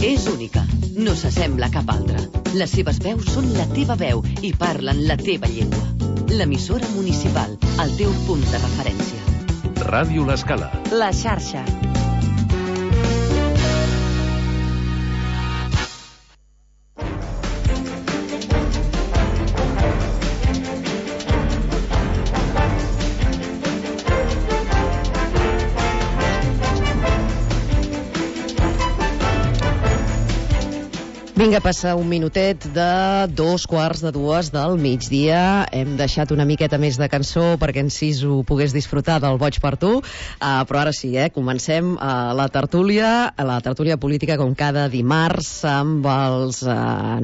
És única, no s'assembla a cap altra. Les seves veus són la teva veu i parlen la teva llengua. L'emissora municipal, el teu punt de referència. Ràdio L'Escala. La xarxa. Vinga, passa un minutet de 2:45 del migdia. Hem deixat una miqueta més de cançó perquè en Sisu pogués disfrutar del Boig per tu, però ara sí, comencem la tertúlia política com cada dimarts amb els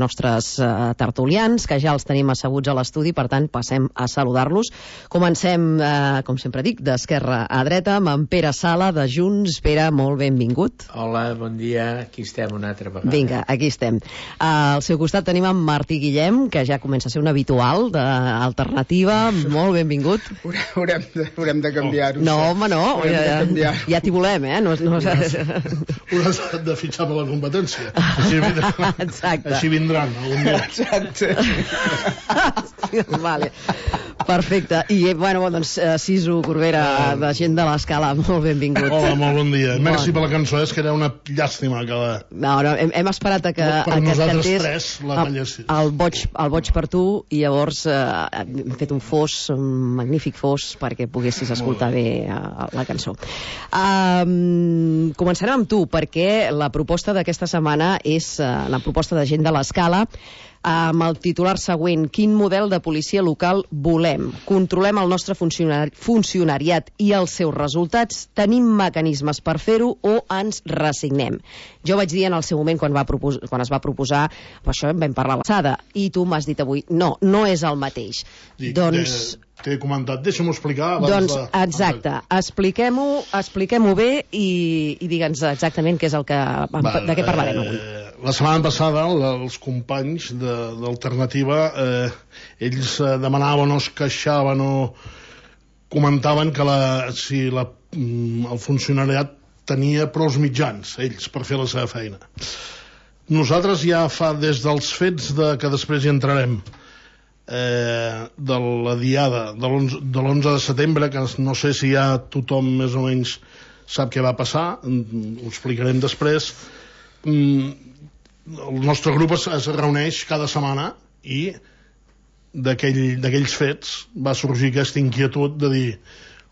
nostres tertulians, que ja els tenim asseguts a l'estudi, per tant passem a saludar-los. Comencem, com sempre dic, d'esquerra a dreta, amb en Pere Sala, de Junts. Pere, molt benvingut. Hola, bon dia, aquí estem una altra vegada. Vinga, aquí estem. Al seu costat tenim en Martí Guillem, que ja comença a ser un habitual d'Alternativa. Molt benvingut. Haurem de canviar-ho. No, home, no. Ja t'hi volem, No un has de fitxar per la competència. Així vindran algun dia. Exacte. Vale. Perfecte. I, bueno, doncs, Sisu Corbera, de Gent de l'Escala, molt benvingut. Hola, molt bon dia. Merci per la cançó, és que era una llàstima que la... No, hem esperat a que nosaltres cantés tres la ballessis. El boig per tu, i llavors hem fet un fos, un magnífic fos, perquè poguessis escoltar bé la cançó. Començarem amb tu, perquè la proposta d'aquesta setmana és la proposta de Gent de l'Escala, amb el titular següent: quin model de policia local volem? Controlem el nostre funcionariat i els seus resultats? Tenim mecanismes per fer-ho o ens resignem? Jo vaig dir en el seu moment, quan es va proposar, per això en vam parlar a l'alçada, i tu m'has dit avui, no és el mateix. Doncs... T'he comentat, deixa'm-ho explicar. Exacte, expliquem-ho bé i digue'ns exactament què és de què parlarem avui. La setmana passada els companys d'Alternativa ells demanaven o es queixaven o comentaven que el funcionariat tenia prou mitjans, ells, per fer la seva feina. Nosaltres ja fa des dels fets que després hi entrarem, de la diada de l'11 de setembre, que no sé si ja tothom més o menys sap què va passar, ho explicarem després. El nostre grup es reuneix cada setmana i d'aquells fets va sorgir aquesta inquietud de dir,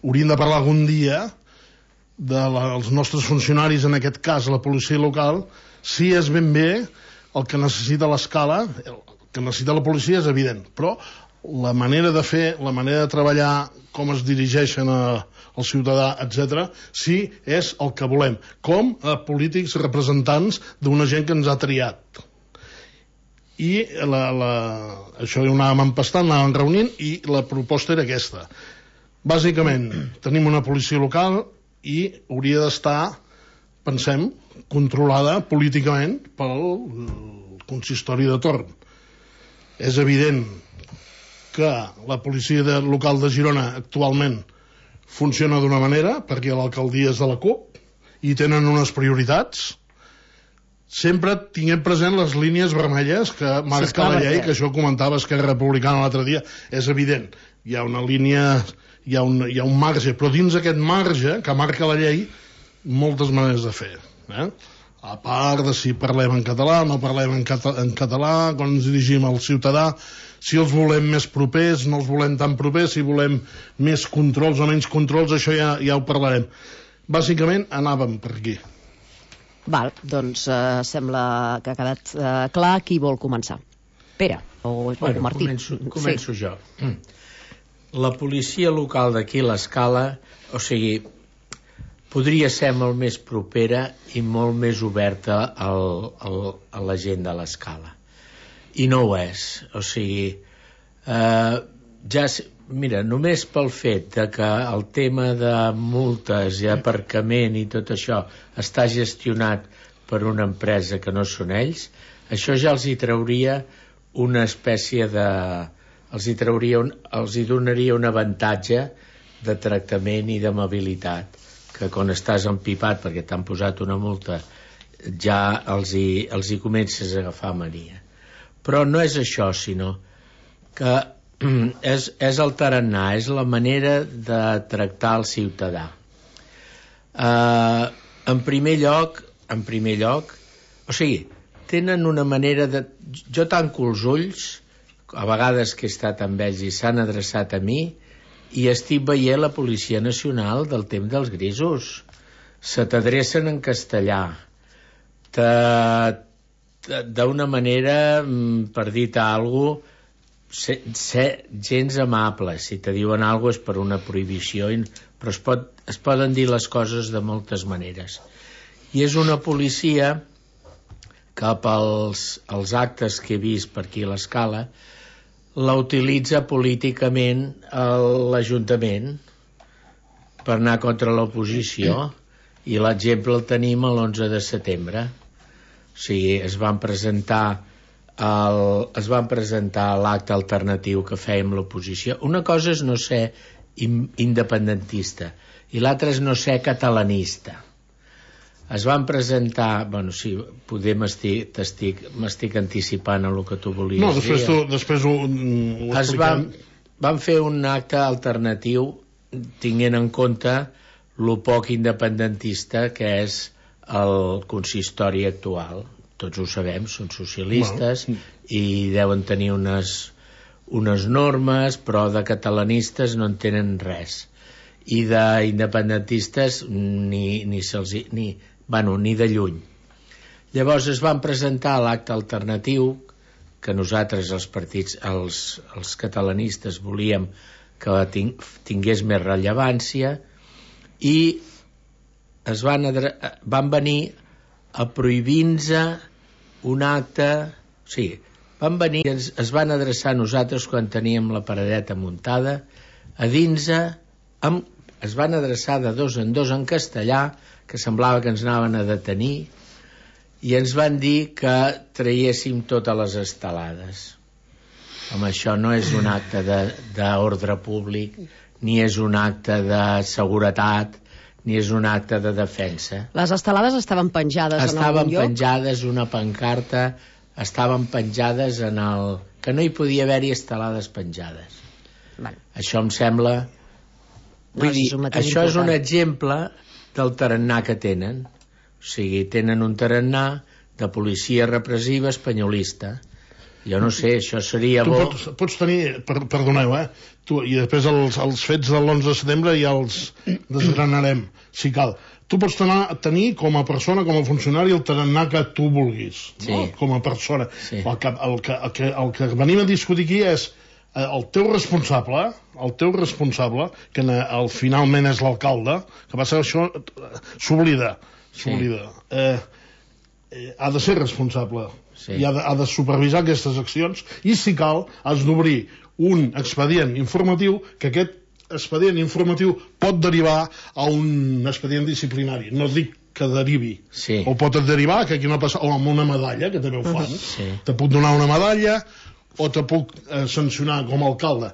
hauríem de parlar algun dia dels nostres funcionaris, en aquest cas la policia local, si és ben bé el que necessita l'Escala. Que necessita la policia és evident, però la manera de fer, la manera de treballar, com es dirigeixen al ciutadà, etc., sí és el que volem, com a polítics representants d'una gent que ens ha triat. I això ho anàvem empastant, anàvem reunint, i la proposta era aquesta. Bàsicament, tenim una policia local i hauria d'estar, pensem, controlada políticament pel consistori de torn. És evident que la policia local de Girona actualment funciona d'una manera, perquè l'alcaldia és de la CUP i tenen unes prioritats. Sempre tinguem present les línies vermelles que marca la llei, que això comentava Esquerra Republicana l'altre dia. És evident, hi ha una línia, hi ha un marge, però dins aquest marge que marca la llei, moltes maneres de fer. A part de si parlem en català, no parlem en català, quan ens dirigim al ciutadà, si els volem més propers, no els volem tan propers, si volem més controls o menys controls, això ja ho parlarem. Bàsicament anàvem per aquí. Val, doncs sembla que ha quedat clar qui vol començar. Pere o Martí? Començo jo. La policia local d'aquí, l'Escala, o sigui, podria ser molt més propera i molt més oberta a la gent de l'Escala. I no ho és. O sigui, mira, només pel fet que el tema de multes i aparcament i tot això està gestionat per una empresa que no són ells, això ja els hi trauria una espècie de... els hi donaria un avantatge de tractament i d'amabilitat, que quan estàs empipat perquè t'han posat una multa ja els hi comences a agafar mania. Però no és això, sinó que és el tarannà, és la manera de tractar el ciutadà. En primer lloc, o sigui, tenen una manera de... Jo tanco els ulls, a vegades que he estat amb ells i s'han adreçat a mi, i estic veient la Policia Nacional del temps dels grisos. Se t'adrecen en castellà, d'una manera, per dir-te alguna cosa, ser gens amable. Si te diuen alguna cosa és per una prohibició, però es poden dir les coses de moltes maneres. I és una policia que pels actes que he vist per aquí a l'Escala la utilitza políticament l'Ajuntament per anar contra l'oposició, i l'exemple el tenim l'11 de setembre. O sigui, es van presentar l'acte alternatiu que fèiem l'oposició. Una cosa és no ser independentista i l'altra és no ser catalanista. Es van presentar, bueno, sí, poder m'estic anticipant a el que tu volies dir. No, després ho expliquem. Van fer un acte alternatiu tinguent en compte lo poc independentista que és el consistori actual. Tots ho sabem, són socialistes i deuen tenir unes normes, però de catalanistes no en tenen res. I d'independentistes ni de lluny. Llavors es van presentar l'acte alternatiu que nosaltres, els partits, els catalanistes, volíem que tingués més rellevància, i van venir a prohibir-nos un acte, o sigui, van venir i es van adreçar a nosaltres quan teníem la paradeta muntada, a dins es van adreçar de dos en dos en castellà, que semblava que ens anaven a detenir, i ens van dir que traiéssim totes les estelades. Home, això no és un acte d'ordre públic, ni és un acte de seguretat, ni és un acte de defensa. Les estelades estaven penjades en algun lloc? Estaven penjades, una pancarta, estaven penjades en el... que no hi podia haver-hi estelades penjades. Vale. Això em sembla... Vull dir, això és un exemple del tarannà que tenen. O sigui, tenen un tarannà de policia repressiva espanyolista. Jo no sé, això seria bo... Tu pots tenir, perdoneu, i després els fets de l'11 de setembre ja els desgranarem, si cal. Tu pots tenir com a persona, com a funcionari, el tarannà que tu vulguis, sí, no? Com a persona. Sí. El que venim a discutir aquí és el teu responsable, que finalment és l'alcalde, que passa que això s'oblida. Ha de ser responsable. Sí. I ha de supervisar aquestes accions, i si cal has d'obrir un expedient informatiu, que aquest expedient informatiu pot derivar a un expedient disciplinari. No dic que derivi, sí, o pot derivar que aquí no passa, o amb una medalla, que també ho fan, sí, te puc donar una medalla o te puc sancionar com a alcalde.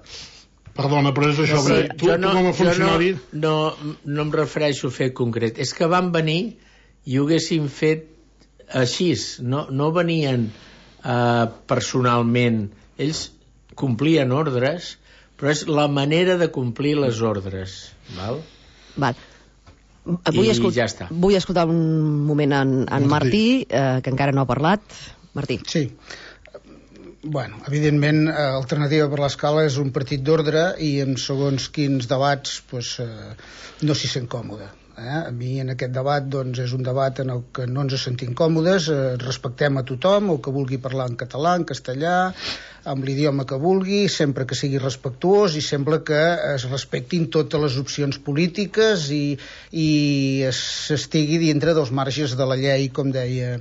Perdona, però és això, sí, tu com a funcionari... No em refereixo a fet concret, és que van venir i ho haguessin fet així, no venien personalment, ells complien ordres, però és la manera de complir les ordres, val? Ja està. Vull escoltar un moment en Martí, que encara no ha parlat. Martí. Sí. Bueno, evidentment, Alternativa per l'Escala és un partit d'ordre i en segons quins debats no s'hi sent còmode. A mi en aquest debat és un debat en el que no ens sentim còmodes, respectem a tothom, el que vulgui parlar en català, en castellà, amb l'idioma que vulgui, sempre que sigui respectuós i sempre que es respectin totes les opcions polítiques i s'estigui dintre dels marges de la llei, com deia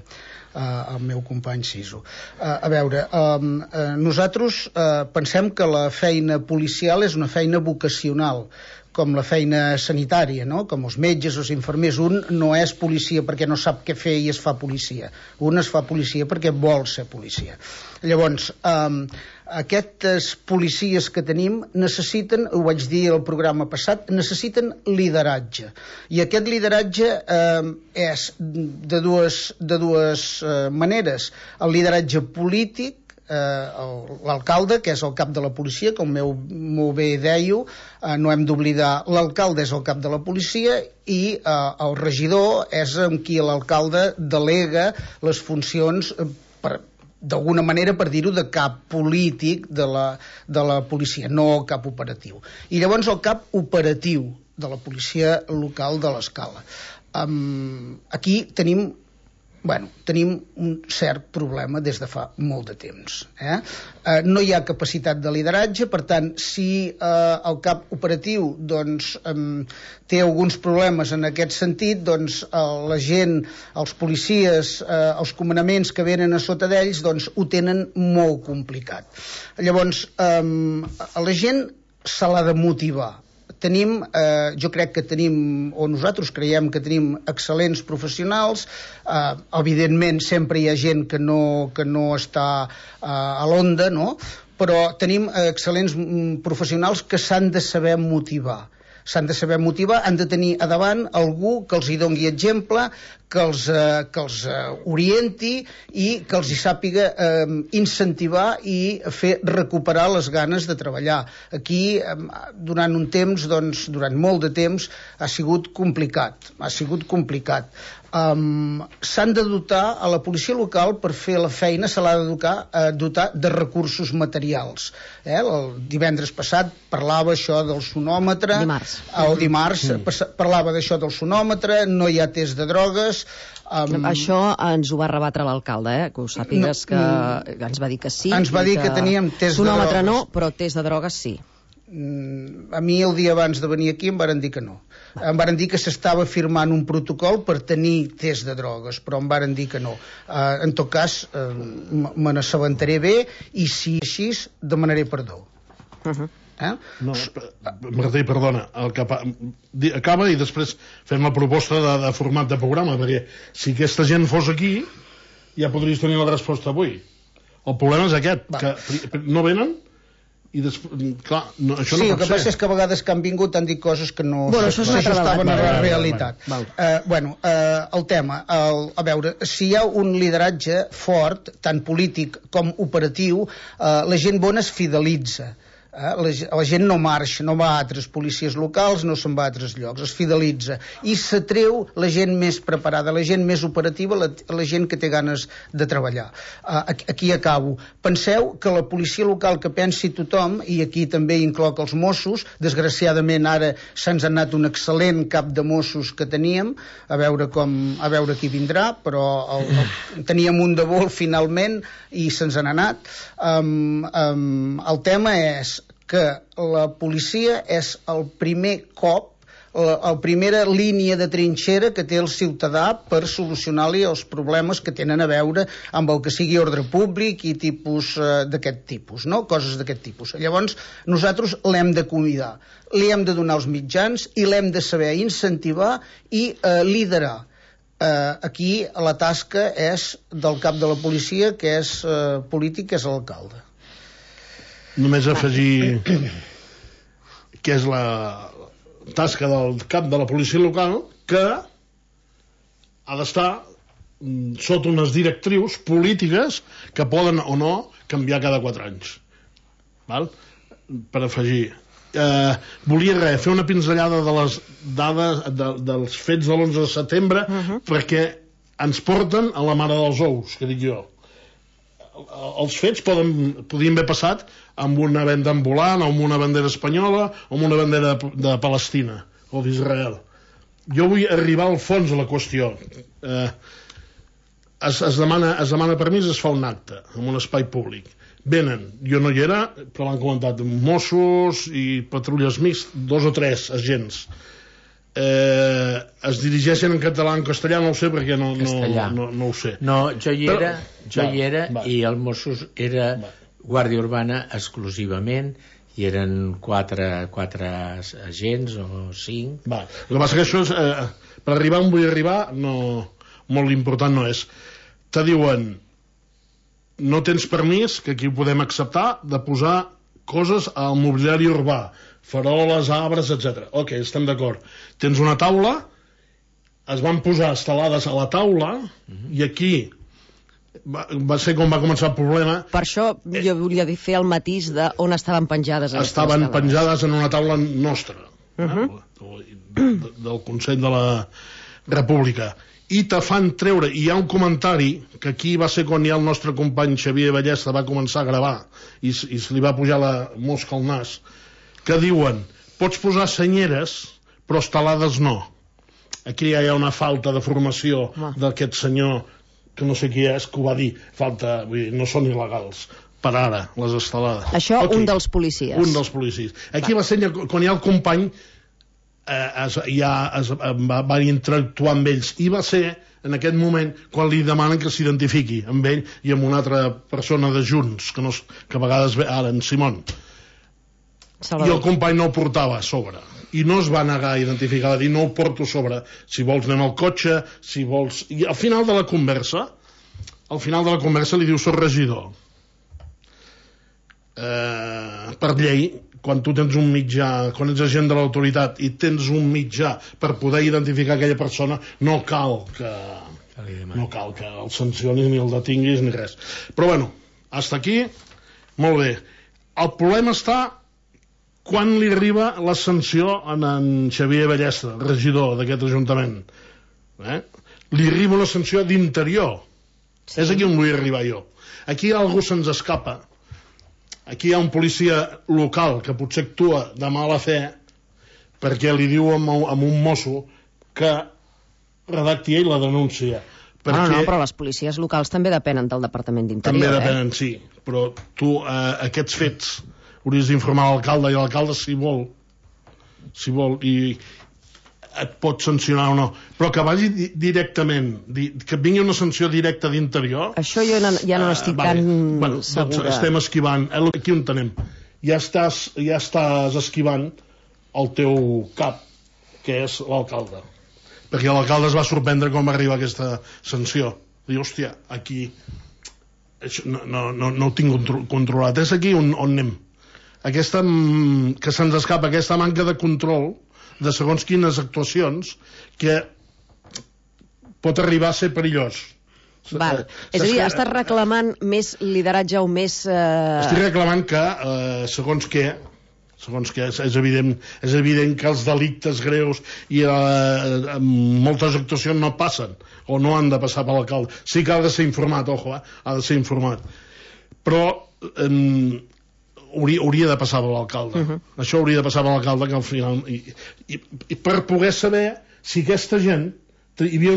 el meu company Siso. A veure, nosaltres pensem que la feina policial és una feina vocacional, com la feina sanitària, no? Com els metges, els infermers. Un no és policia perquè no sap què fer i es fa policia. Un es fa policia perquè vol ser policia. Llavors, aquestes policies que tenim necessiten, ho vaig dir al programa passat, necessiten lideratge. I aquest lideratge és de dues maneres. El lideratge polític, l'alcalde, que és el cap de la policia, com molt bé dèieu, no hem d'oblidar, l'alcalde és el cap de la policia i el regidor és amb qui l'alcalde delega les funcions d'alguna manera, per dir-ho, de cap polític de la policia, no cap operatiu. I llavors el cap operatiu de la policia local de l'Escala. Aquí tenim un cert problema des de fa molt de temps. No hi ha capacitat de lideratge, per tant, si el cap operatiu té alguns problemes en aquest sentit, doncs la gent, els policies, els comandaments que venen a sota d'ells, doncs ho tenen molt complicat. Llavors, a la gent se l'ha de motivar. Jo crec que tenim, o nosaltres creiem que tenim excel·lents professionals. Evidentment sempre hi ha gent que no està a l'onda, no? Però tenim excel·lents professionals que s'han de saber motivar. Han de tenir a davant algú que els hi doni exemple, que els orienti i que els hi sàpiga incentivar i fer recuperar les ganes de treballar. Aquí, durant molt de temps, ha sigut complicat. S'han de dotar a la policia local, per fer la feina se l'ha de dotar de recursos materials. El divendres passat parlava això del sonòmetre, dimarts parlava d'això del sonòmetre, no hi ha test de drogues. Això ens ho va rebatre l'alcalde, que ho sàpigues, que ens va dir que sí. Ens va dir que teníem test de drogues. Sonòmetre no, però test de drogues sí. A mi el dia abans de venir aquí em varen dir que no. Em varen dir que s'estava firmant un protocol per tenir test de drogues, però em varen dir que no. En tot cas, me n'assabentaré bé i si així demanaré perdó. No, Martí, perdona, acaba i després fem la proposta de format de programa, perquè si aquesta gent fos aquí ja podries tenir la resposta avui. El problema és aquest, que no venen i després, clar, això no pot ser. Sí, el que passa és que a vegades que han vingut han dit coses que no s'ajustaven a la realitat. El tema, a veure, si hi ha un lideratge fort, tant polític com operatiu, la gent bona es fidelitza. La gent no marxa, no va a altres policies locals, no se'n va a altres llocs, es fidelitza i s'atreu la gent més preparada, la gent més operativa, la gent que té ganes de treballar. Aquí acabo. Penseu que la policia local, que pensi tothom, i aquí també incloc els Mossos, desgraciadament ara se'ns ha anat un excel·lent cap de Mossos que teníem, a veure qui vindrà, però teníem un de vol finalment i se'ns n'ha anat. El tema és que la policia és el primer cop, la primera línia de trinxera que té el ciutadà per solucionar-li els problemes que tenen a veure amb el que sigui ordre públic i tipus d'aquest tipus, no? Coses d'aquest tipus. Llavors, nosaltres l'hem de cuidar, li hem de donar els mitjans i l'hem de saber incentivar i liderar. Aquí la tasca és del cap de la policia, que és polític, que és l'alcalde. Només afegir que és la tasca del cap de la policia local, que ha d'estar sota unes directrius polítiques que poden o no canviar cada 4 anys. Val? Per afegir. Volia fer una pinzellada de les dades dels fets de l'11 de setembre perquè ens porten a la mare dels ous, que dic jo. Els fets podien haver passat amb una venda ambulant, amb una bandera espanyola o amb una bandera de Palestina o d'Israel. Jo vull arribar al fons de la qüestió. Es demana permís, es fa un acte en un espai públic. Venen, jo no hi era, però l'han comentat, Mossos i patrulles mixtes, 2 o 3 agents. Es dirigeixen en català, en castellà, no ho sé perquè no ho sé. No, jo hi era i el Mossos era Guàrdia Urbana exclusivament i eren 4 agents o 5. El que passa que això és, per arribar on vull arribar, molt important no és. Te diuen no tens permís, que aquí ho podem acceptar, de posar coses al mobiliari urbà, faroles, arbres, etc. Ok, estem d'acord. Tens una taula, es van posar estelades a la taula, i aquí va ser com va començar el problema. Per això jo volia fer el matís de on estaven penjades. Estaven penjades en una taula nostra, del Consell de la República, i te fan treure, i hi ha un comentari que aquí va ser quan ja el nostre company Xavier Ballesta va començar a gravar i se li va pujar la mosca al nas, que diuen, pots posar senyeres però estelades no. Aquí ja hi ha una falta de formació d'aquest senyor, que no sé qui és, que ho va dir, falta, vull dir, no són il·legals per ara, les estelades. Això un dels policies. Un dels policies. Aquí va ser quan ja el company va interactuar amb ells, i va ser en aquest moment quan li demanen que s'identifiqui amb ell i amb una altra persona de Junts, que a vegades ve ara, en Simón. Salvador. I el company no ho portava a sobre, i no es va negar a identificar, va dir no ho porto a sobre, si vols anem al cotxe, si vols... I al final de la conversa li diu soc regidor. Per llei, quan tu tens un mitjà, quan ets agent de l'autoritat i tens un mitjà per poder identificar aquella persona, no cal que el sancionis ni el detinguis ni res. Però bueno, hasta aquí, molt bé. El problema està quan li arriba la sanció a en Xavier Ballesta, regidor d'aquest ajuntament. Li arriba una sanció d'interior. Sí. És aquí on vull arribar jo. Aquí algú se'ns escapa. Aquí hi ha un policia local que potser actua de mala fe perquè li diu a un mosso que redacti ell la denúncia. No, però les policies locals també depenen del Departament d'Interior. També depenen, sí, però tu aquests fets hauries d'informar l'alcalde, i l'alcalde si vol i et pot sancionar o no, però que vagi directament, que vingui una sanció directa d'interior, això jo ja no estic tan segura. Doncs estem esquivant, aquí on tenem, ja estàs esquivant el teu cap, que és l'alcalde, perquè l'alcalde es va sorprendre quan va arribar aquesta sanció. Diu, hòstia, aquí no ho tinc controlat. És aquí on anem, que se'ns escapa aquesta manca de control de segons quines actuacions, que pot arribar a ser perillós. Val. És a dir, estàs reclamant més lideratge o més... Estic reclamant que, segons què, és evident que els delictes greus i moltes actuacions no passen, o no han de passar per l'alcalde. Sí que ha de ser informat, ha de ser informat. Però... hauria de passar per l'alcalde. Això hauria de passar per l'alcalde, que al final i per poder saber si aquesta gent hi havia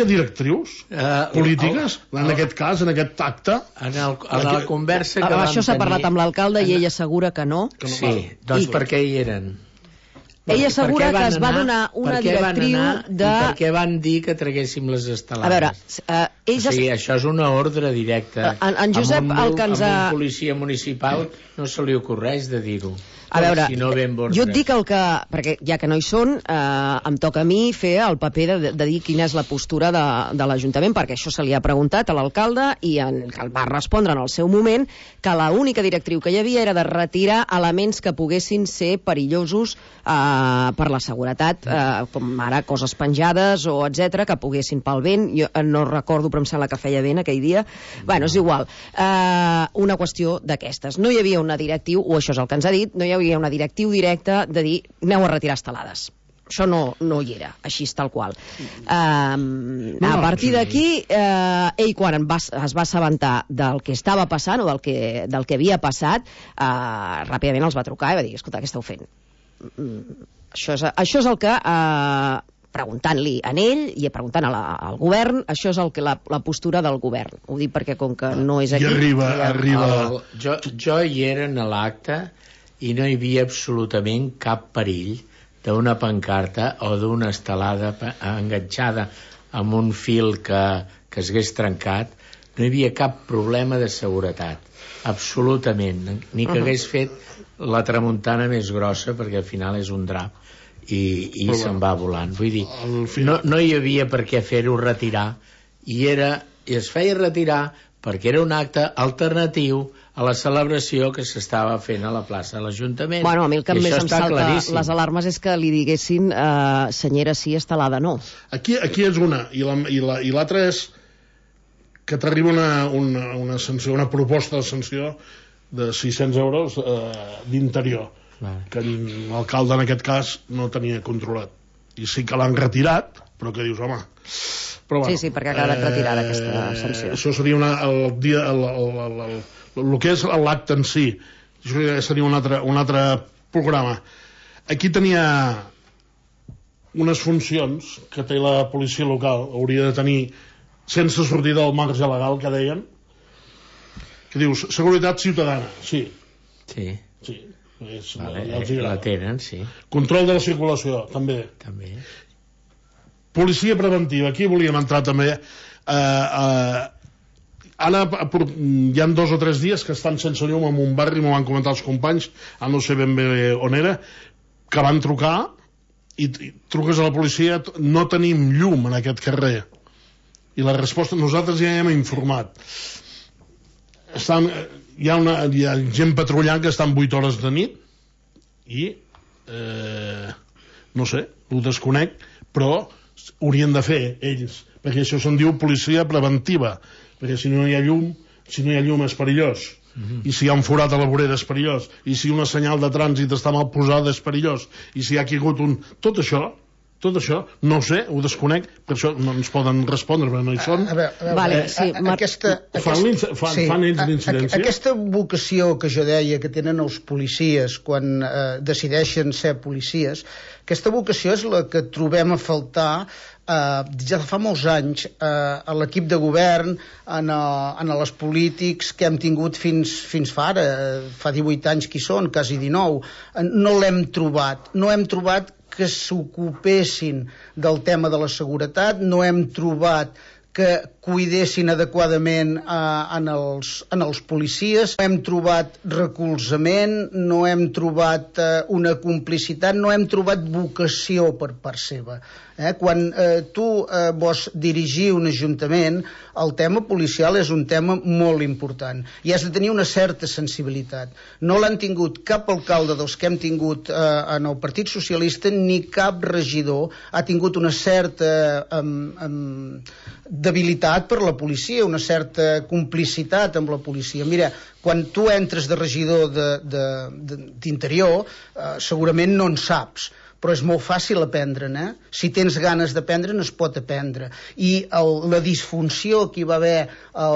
directrius polítiques en aquest cas, en aquest acte, en la conversa que vam tenir. Això s'ha parlat amb l'alcalde i ell assegura que no. Sí, doncs per què hi eren? Ell assegura que es va donar una directriu de... I per què van dir que traguéssim les estelades? A veure, o sigui, això és una ordre directa. En Josep Alcanzà... A un policia municipal no se li ocorreix de dir-ho. A veure, si no jo et dic el que... Perquè ja que no hi són, em toca a mi fer el paper de dir quina és la postura de l'Ajuntament, perquè això se li ha preguntat a l'alcalde i va respondre en el seu moment que l'única directriu que hi havia era de retirar elements que poguessin ser perillosos per la seguretat, com ara coses penjades o etc que poguessin pel vent. Jo no recordo, però em sembla que feia vent aquell dia. Bueno, és igual. Una qüestió d'aquestes. No hi havia una directriu, o això és el que ens ha dit, no hi havia una directriu directa de dir aneu a retirar estelades. Això no hi era, així tal qual. A partir d'aquí, ell quan es va assabentar del que estava passant o del que havia passat, ràpidament els va trucar i va dir, escolta, què esteu fent? Això és el que... preguntant-li a ell i preguntant al govern, això és la postura del govern. Ho dic perquè com que no és aquí... I arriba... Jo hi era en l'acte i no hi havia absolutament cap perill d'una pancarta o d'una estelada enganxada amb un fil que es hagués trencat. No hi havia cap problema de seguretat, absolutament, ni que hagués fet la tramuntana més grossa, perquè al final és un drap i se'n va volant. Vull dir, no hi havia per què fer-ho retirar, i era i es feia retirar perquè era un acte alternatiu a la celebració que s'estava fent a la plaça de l'Ajuntament. Bueno, a mi el que més em salta claríssim. les alarmes és que li diguessin senyera sí, estelada no. Aquí és una, i l'altra és que t'arriba una sanció, una proposta de sanció de 600 euros d'interior, que l'alcalde en aquest cas no tenia controlat. I sí que l'han retirat, però que dius, home... Però, bueno, sí, perquè ha quedat retirada aquesta sanció. Això seria el que és l'acte en si. Això seria un altre programa. Aquí tenia unes funcions que té la policia local, hauria de tenir, sense sortir del marge legal, que deien, que dius, seguretat ciutadana, sí. Sí. La tenen, sí. Control de la circulació, també. Policia preventiva, aquí volíem entrar també. Ara hi ha 2 o 3 dies que estan sense llum en un barri, m'ho van comentar els companys, no sé ben bé on era, que van trucar i truques a la policia, no tenim llum en aquest carrer. I la resposta, nosaltres ja hem informat. Hi ha gent patrullant que estan 8 hores de nit i no sé, ho desconec, però haurien de fer ells, perquè això se'n diu policia preventiva, perquè si no hi ha llum és perillós, i si hi ha un forat a la vorera és perillós, i si una senyal de trànsit està mal posada és perillós, i si hi ha caigut tot això, no ho sé, ho desconec, per això no ens poden respondre, perquè no hi són. Fan ells d'incidència. Aquesta vocació que jo deia que tenen els policies quan decideixen ser policies, aquesta vocació és la que trobem a faltar ja fa molts anys a l'equip de govern, en els polítics que hem tingut fins fa ara, fa 18 anys que hi són, quasi 19. No l'hem trobat, que s'ocupessin del tema de la seguretat, no hem trobat que cuidessin adequadament en els policies, no hem trobat recolzament, no hem trobat una complicitat, no hem trobat vocació per part seva. Quan tu vols dirigir un ajuntament, el tema policial és un tema molt important i has de tenir una certa sensibilitat. No l'han tingut cap alcalde dels que hem tingut en el Partit Socialista, ni cap regidor ha tingut una certa debilitat per la policia, una certa complicitat amb la policia. Mira, quan tu entres de regidor d'Interior, segurament no en saps, però és molt fàcil aprendre-ne. Si tens ganes d'aprendre, es pot aprendre. I la disfunció que hi va haver a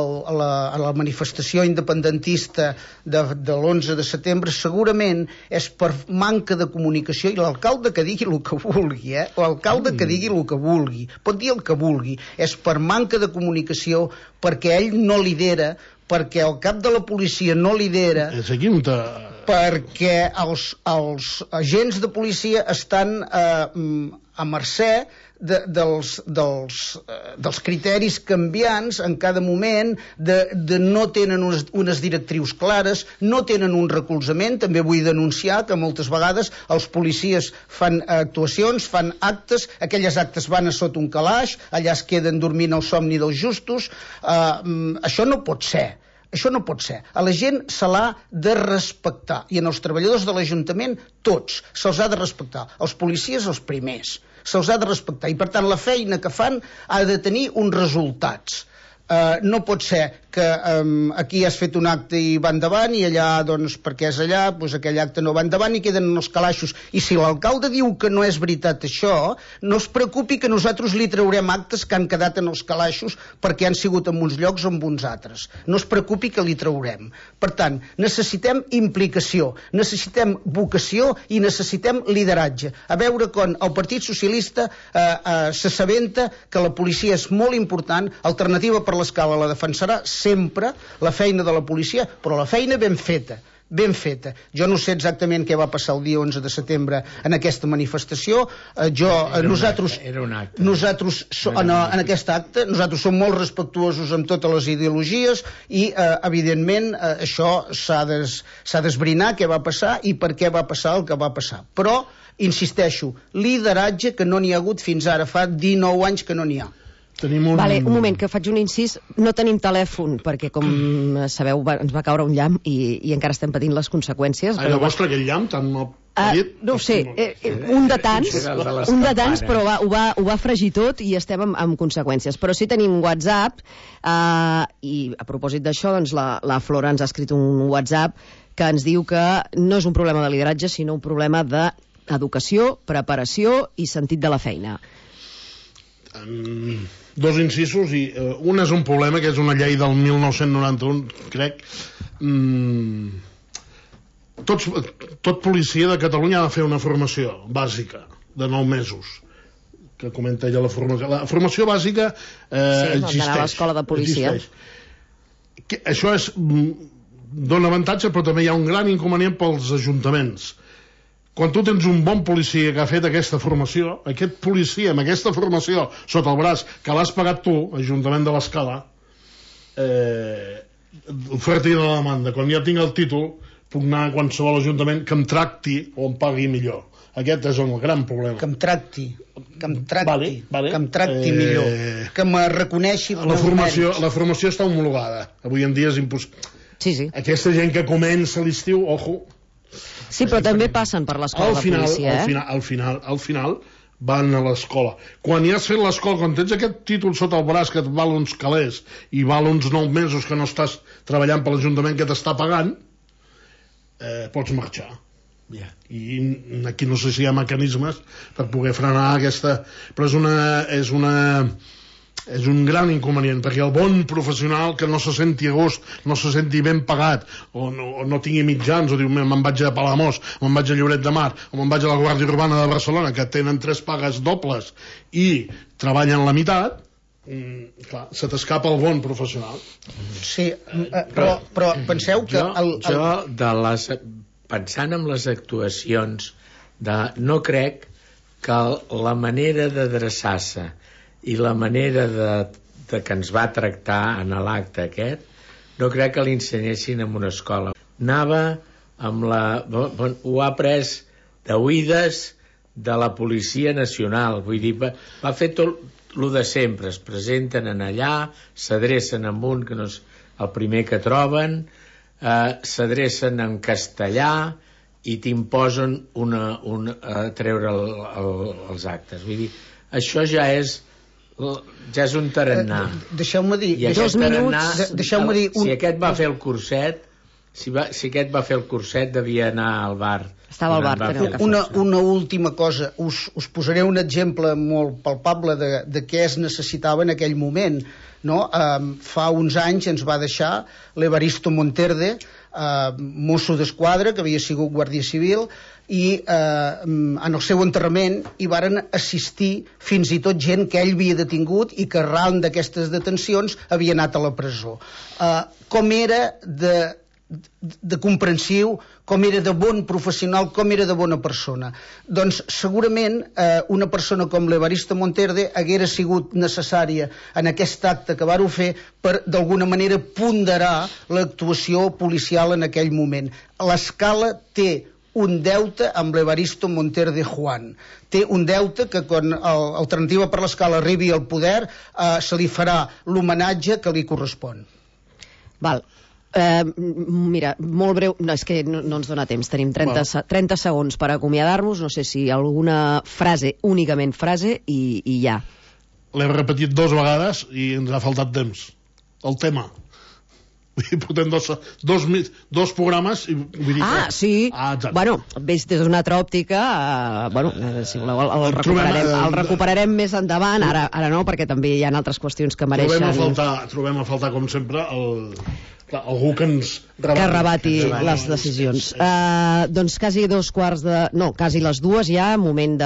la manifestació independentista de l'11 de setembre segurament és per manca de comunicació, i l'alcalde que digui el que vulgui, l'alcalde que digui el que vulgui, pot dir el que vulgui, és per manca de comunicació, perquè ell no lidera, perquè el cap de la policia no lidera, perquè els agents de policia estan a mercè dels criteris canviants en cada moment, no tenen unes directrius clares, no tenen un recolzament. També vull denunciar que moltes vegades els policies fan actuacions, fan actes, aquelles actes van a sota un calaix, allà es queden dormint el somni dels justos. Això no pot ser. Això no pot ser. A la gent se l'ha de respectar, i en els treballadors de l'Ajuntament tots se'ls ha de respectar, els policies els primers, se'ls ha de respectar, i per tant la feina que fan ha de tenir uns resultats. No pot ser que aquí has fet un acte i va endavant, i allà, doncs, perquè és allà, doncs aquell acte no va endavant i queden en els calaixos. I si l'alcalde diu que no és veritat això, no es preocupi que nosaltres li traurem actes que han quedat en els calaixos perquè han sigut en uns llocs o en uns altres. No es preocupi que li traurem. Per tant, necessitem implicació, necessitem vocació i necessitem lideratge. A veure quan el Partit Socialista s'assabenta que la policia és molt important, Alternativa per l'Escala la defensarà sempre, la feina de la policia, però la feina ben feta. Jo no sé exactament què va passar el dia 11 de setembre en aquesta manifestació. Nosaltres en aquest acte nosaltres som molt respectuosos amb totes les ideologies i evidentment això s'ha d'esbrinar què va passar i per què va passar el que va passar. Però insisteixo, lideratge que no n'hi ha hagut fins ara, fa 19 anys que no n'hi ha. Vale, un moment, que faig un incís. No tenim telèfon, perquè, com sabeu, ens va caure un llamp i encara estem patint les conseqüències. Ai, el vostre, aquell llamp tan mal parit? No ho sé, un de tants, però ho va fregir tot i estem amb conseqüències. Però sí tenim WhatsApp, i a propòsit d'això, doncs la Flora ens ha escrit un WhatsApp que ens diu que no és un problema de lideratge, sinó un problema d'educació, preparació i sentit de la feina. Dos incisos, i un és un problema, que és una llei del 1991, crec. Tot policia de Catalunya ha de fer una formació bàsica de 9 mesos, que comenta ella la formació. La formació bàsica existeix. D'anar a l'escola de policia. Això dona avantatge, però també hi ha un gran inconvenient pels ajuntaments. Quan tu tens un bon policia que ha fet aquesta formació, aquest policia amb aquesta formació sota el braç, que l'has pagat tu, Ajuntament de l'Escala, oferta i la demanda. Quan ja tinc el títol, puc anar a qualsevol ajuntament que em tracti o em pagui millor. Aquest és el gran problema. Que em tracti vale. Que em tracti millor, que me reconeixi els meus mèrits. La formació està homologada. Avui en dia és impossible. Sí. Aquesta gent que comença l'estiu, ojo. Sí, però també passen per l'escola de policia, Al final van a l'escola. Quan ja has fet l'escola, quan tens aquest títol sota el braç que et val uns calés i val uns 9 mesos que no estàs treballant per l'Ajuntament que t'està pagant, pots marxar. I aquí no sé si hi ha mecanismes per poder frenar aquesta... Però és un gran inconvenient, perquè el bon professional que no se senti a gust, no se senti ben pagat, o no tingui mitjans, o diu, me'n vaig a Palamós, me'n vaig a Lloret de Mar, o me'n vaig a la Guàrdia Urbana de Barcelona, que tenen 3 pagues dobles i treballen la meitat, clar, se t'escapa el bon professional. Sí, però penseu que... Pensant en les actuacions, no crec que la manera d'adreçar-se i la manera de que ens va tractar en l'acte aquest, no crec que l'insenyessin en una escola. Anava amb ho ha pres d'oïdes de la Policia Nacional, vull dir, va fer tot el de sempre, es presenten en allà, s'adrecen amb un que no és el primer que troben, s'adrecen en castellà i t'imposen a treure els actes. Vull dir, això ja és un tarannà. Deixeu-me dir, si aquest va fer el curset, si aquest va fer el curset, devia anar al bar. Estava al bar. Una última cosa, us posaré un exemple molt palpable de què es necessitava en aquell moment, no? Fa uns anys ens va deixar l'Evaristo Monterde, mosso d'esquadra, que havia sigut guàrdia civil, i en el seu enterrament hi varen assistir fins i tot gent que ell havia detingut i que arran d'aquestes detencions havia anat a la presó. Com era de comprensiu, com era de bon professional, com era de bona persona. Doncs segurament una persona com l'Evaristo Monterde haguera sigut necessària en aquest acte que vàreu fer per d'alguna manera ponderar l'actuació policial en aquell moment. L'Escala té un deute amb l'Evaristo Monterde Juan. Té un deute que quan Alternativa per l'Escala arribi al poder se li farà l'homenatge que li correspon. Val. Mira, molt breu, no, és que no ens dona temps, tenim 30 segons per acomiadar-nos, no sé si alguna frase, únicament frase i ja. L'hem repetit 2 vegades i ens ha faltat temps. El tema. Portem dos programes i vull dir sí. Bueno, des d'una altra òptica, si voleu el recuperarem més endavant, ara no, perquè també hi ha altres qüestions que mereixen. Trobem a faltar com sempre algú que ens rebati les decisions. Doncs quasi quasi les 2 ja, moment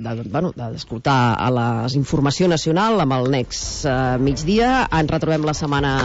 d'escoltar a la informació nacional amb el Next Migdia. Ens retrobem la setmana